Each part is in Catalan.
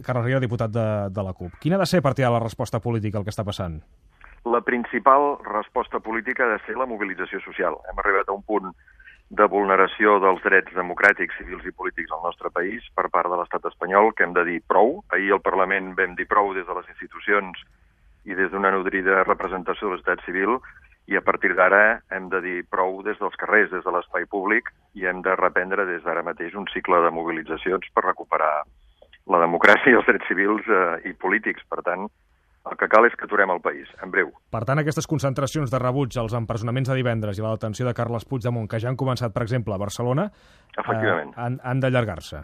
Carles Riera, diputat de la CUP. Quina ha de ser, per tirar la resposta política al que està passant? La principal resposta política ha de ser la mobilització social. Hem arribat a un punt de vulneració dels drets democràtics, civils i polítics al nostre país per part de l'estat espanyol, que hem de dir prou. Ahir al Parlament vam dir prou des de les institucions i des d'una nodrida representació de la societat civil, i a partir d'ara hem de dir prou des dels carrers, des de l'espai públic, i hem de reprendre des d'ara mateix un cicle de mobilitzacions per recuperar la democràcia i els drets civils i polítics. Per tant, el que cal és que aturem el país, en breu. Per tant, aquestes concentracions de rebuig als empresonaments de divendres i la detenció de Carles Puigdemont, que ja han començat, per exemple, a Barcelona, han d'allargar-se.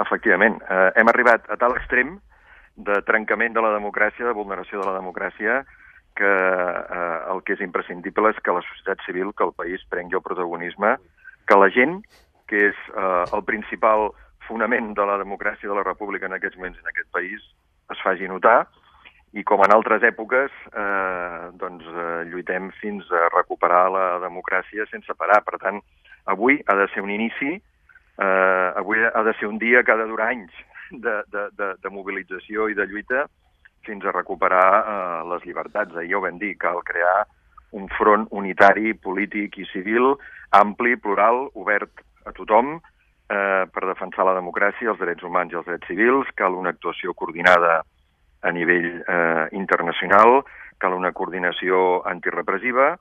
Efectivament. Hem arribat a tal extrem de trencament de la democràcia, de vulneració de la democràcia, que el que és imprescindible és que la societat civil, que el país prengui el protagonisme, que la gent, que és el principal fonament de la democràcia de la república en aquests moments en aquest país, es faci notar, i com en altres èpoques lluitem fins a recuperar la democràcia sense parar. Per tant, avui ha de ser un inici, avui ha de ser un dia que ha de durar anys de mobilització i de lluita fins a recuperar les llibertats. Ahir ja ho vam dir, cal crear un front unitari, polític i civil, ampli, plural, obert a tothom, per defensar la democràcia, els drets humans i els drets civils. Cal una actuació coordinada a nivell internacional, cal una coordinació antirepressiva,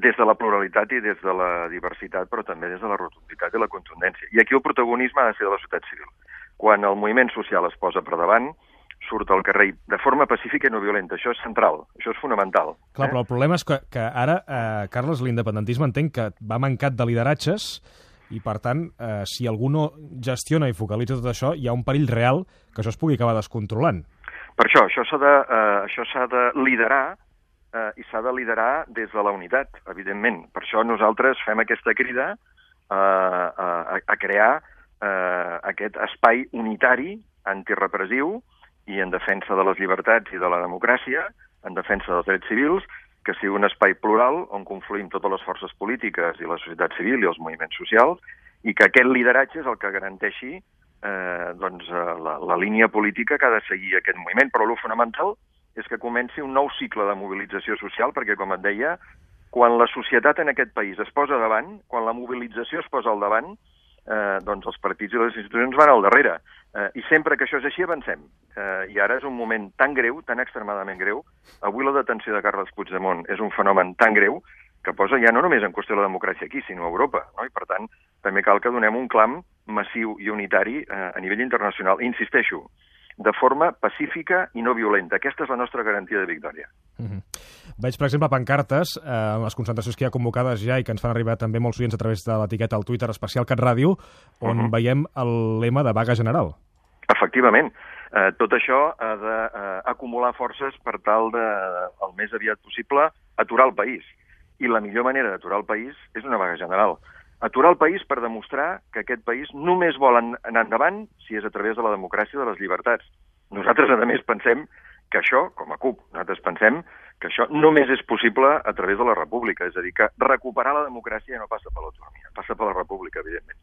des de la pluralitat i des de la diversitat, però també des de la rotunditat i la contundència. I aquí el protagonisme ha de ser de la societat civil. Quan el moviment social es posa per davant, surt al carrer de forma pacífica i no violenta. Això és central, això és fonamental. Clar, però el problema és que ara, Carles, l'independentisme entenc que va mancat de lideratges i, per tant, si algú no gestiona i focalitza tot això, hi ha un perill real que això es pugui acabar descontrolant. Per això s'ha de liderar i s'ha de liderar des de la unitat, evidentment. Per això nosaltres fem aquesta crida a crear aquest espai unitari, antirepressiu, i en defensa de les llibertats i de la democràcia, en defensa dels drets civils, que sigui un espai plural on confluïm totes les forces polítiques i la societat civil i els moviments socials, i que aquest lideratge és el que garanteixi la línia política que ha de seguir aquest moviment. Però el fonamental és que comenci un nou cicle de mobilització social, perquè, com et deia, quan la societat en aquest país es posa davant, quan la mobilització es posa al davant, els partits i les institucions van al darrere. I sempre que això és així avancem. I ara és un moment tan greu, tan extremadament greu. Avui la detenció de Carles Puigdemont és un fenomen tan greu que posa ja no només en qüestió la democràcia aquí, sinó a Europa. No? I per tant, també cal que donem un clam massiu i unitari a nivell internacional. I insisteixo, de forma pacífica i no violenta. Aquesta és la nostra garantia de victòria. Veig, per exemple, pancartes en les concentracions que hi ha convocades ja i que ens fan arribar també molts oients a través de l'etiqueta al Twitter especial CatRàdio, on veiem el lema de vaga general. Efectivament. Tot això ha d'acumular forces per tal de, el més aviat possible, aturar el país. I la millor manera d'aturar el país és una vaga general. Aturar el país per demostrar que aquest país només vol anar endavant si és a través de la democràcia i de les llibertats. Nosaltres, a més, pensem que això, com a CUP, nosaltres pensem que això només és possible a través de la república. És a dir, que recuperar la democràcia no passa per l'autonomia, passa per la república, evidentment.